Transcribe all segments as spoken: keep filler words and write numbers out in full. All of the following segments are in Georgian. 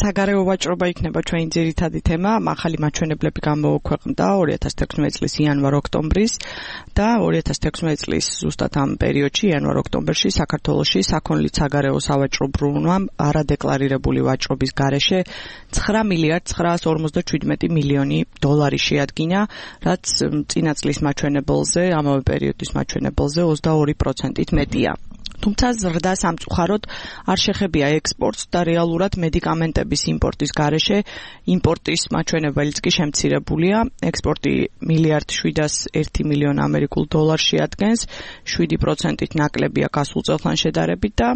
საგარეო ვაჭრობა იქნება ჩვენი ძირითადი თემა. ახალი მაჩვენებლები გამოქვეყნდა ორი ათას თექვსმეტი წლის იანვარ-ოქტომბრის და ორი ათას თექვსმეტი წლის ზუსტად ამ პერიოდში იანვარ-ოქტომბერში საქართველოში საქონლით საგარეო სავაჭრო ბრუნვამ არადეკლარირებული ვაჭრობის გარეშე ცხრა მილიარდ ცხრაას ორმოცდაშვიდმეტი მილიონი დოლარი შეადგინა, რაც წინა წლის მაჩვენებელზე, ამავე პერიოდის მაჩვენებელზე ოცდაორი პროცენტით მეტია. თუმცა ზრდა სამწუხაროდ არ შეხებია ექსპორტს და რეალურად მედიკამენტების იმპორტის გარეშე იმპორტის მაჩვენებელიც კი შემცირებულია. ექსპორტი მილიარდ შვიდას ერთი მილიონი ამერიკულ დოლარს შეადგენს, შვიდი პროცენტით ნაკლებია გასულ წელთან შედარებით და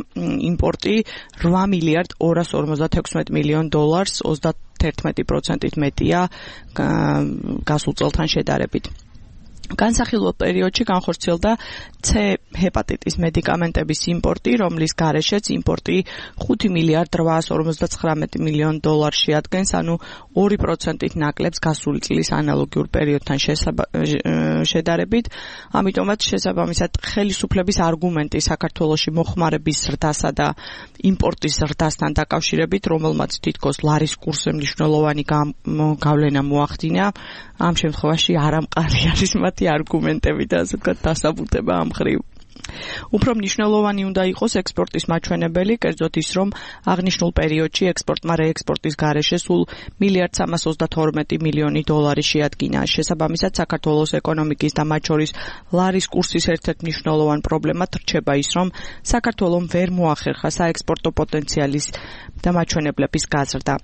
იმპორტი რვა მილიარდ ორას ორმოცდათექვსმეტი მილიონი დოლარს, ოცდაერთი პროცენტით მეტია გასულ წელთან შედარებით. განსახილველ პერიოდში განხორციელდა C ჰეპატიტის მედიკამენტების იმპორტი, რომლის გარეშეც იმპორტი ხუთი მილიარდ რვაას ორმოცდაცხრამეტი მილიონი დოლარს შეადგენს, ანუ ორი პროცენტით ნაკლებს გასული წლის ანალოგიურ პერიოდთან შედარებით. ამიტომაც შესაბამისად ხელისუფლების არგუმენტი საქართველოში მოხმარების ზრდასა და იმპორტის ზრდასთან დაკავშირებით, რომელმაც თითქოს ლარის კურსზე მნიშვნელოვანი გავლენა მოახდინა, ამ შემთხვევაში არამყარი არის მათი არგუმენტები და ასე ვთქვათ დასაბუთება ამ მხრივ. უფრო მნიშვნელოვანი უნდა იყოს ექსპორტის მაჩვენებელი, კერძოდ ის, რომ აღნიშნულ პერიოდში ექსპორტმა რეექსპორტის გარეშე სულ მილიარდ სამას ოცდათორმეტი მილიონი დოლარი შეადგინა. შესაბამისად, საქართველოს ეკონომიკის და მათ შორის ლარის კურსის ერთ-ერთ მნიშვნელოვან პრობლემად რჩება ის, რომ საქართველომ ვერ მოახერხა საექსპორტო პოტენციალის და მაჩვენებლების გაზრდა.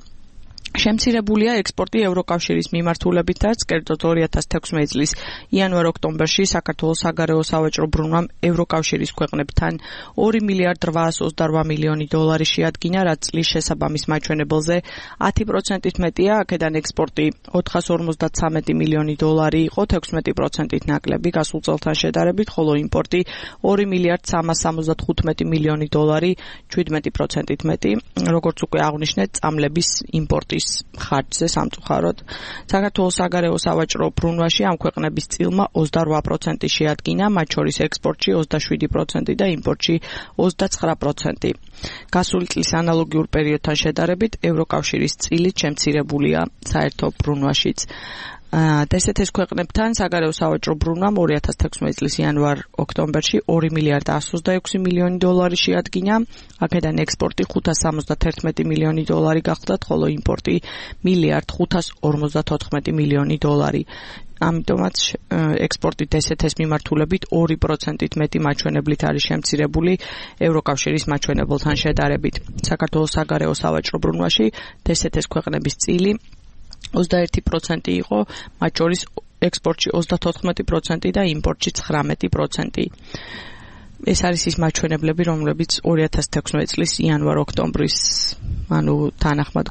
შემცირებულია ექსპორტი ევროკავშირის მიმართულებითაც, კერძოდ ორი ათას თექვსმეტი წლის იანვარ-ოქტომბერში საქართველოს საგარეო სავაჭრო ბრუნვამ ევროკავშირის ქვეყნებთან ორი მილიარდ რვაას ოცდარვა მილიონი დოლარი შეადგინა, რაც წლის შესაბამის მაჩვენებელზე ათი პროცენტით მეტია. აქედან ექსპორტი ოთხას ორმოცდაცამეტი მილიონი დოლარი იყო, თექვსმეტი პროცენტით ნაკლები გასულ წელთან შედარებით, ხოლო იმპორტი ორი მილიარდ სამას სამოცდათხუთმეტი მილიონი დოლარი, შვიდმეტი პროცენტით მეტი. როგორც უკვე აღვნიშნეთ, წამლების იმპორტის ხარჯზე სამწუხაროდ საქართველოს საგარეო სავაჭრო ბრუნვაში ამ ქვეყნების წილმა ოცდარვა პროცენტი შეადგინა, მათ შორის ექსპორტში ოცდაშვიდი პროცენტი და იმპორტში ოცდაცხრა პროცენტი. გასული წლის ანალოგიურ პერიოდთან შედარებით ევროკავშირის წილით შემცირებულია საერთო ბრუნვაშიც. დსთ-ის ქვეყნებთან საგარეო სავაჭრო ბრუნვამ ორი ათას თექვსმეტი წლის იანვარ-ოქტომბერში ორი მილიარდ ასს ოცდაექვსი მილიონი დოლარი შეადგინა. აქედან ექსპორტი ხუთას სამოცდათერთმეტი მილიონი დოლარი გახლდათ, ხოლო იმპორტი მილიარდ ხუთას ორმოცდათოთხმეტი მილიონი დოლარი. ამიტომაც ექსპორტი დსთ-ის მიმართულებით ორი პროცენტით მეტი მაჩვენებლით არის შემცირებული ევროკავშირის მაჩვენებელთან შედარებით. საქართველოს საგარეო სავაჭრო ბრუნვაში დსთ-ის ქვეყნების წილი ოცდაერთი პროცენტი იყო, მათ შორის ექსპორტში ოცდათოთხმეტი პროცენტი და იმპორტში ცხრამეტი პროცენტი. ეს არის ის მაჩვენებლები, რომლებიც ორი ათას თექვსმეტი წლის იანვარ-ოქტომბრის, ანუ თანახმად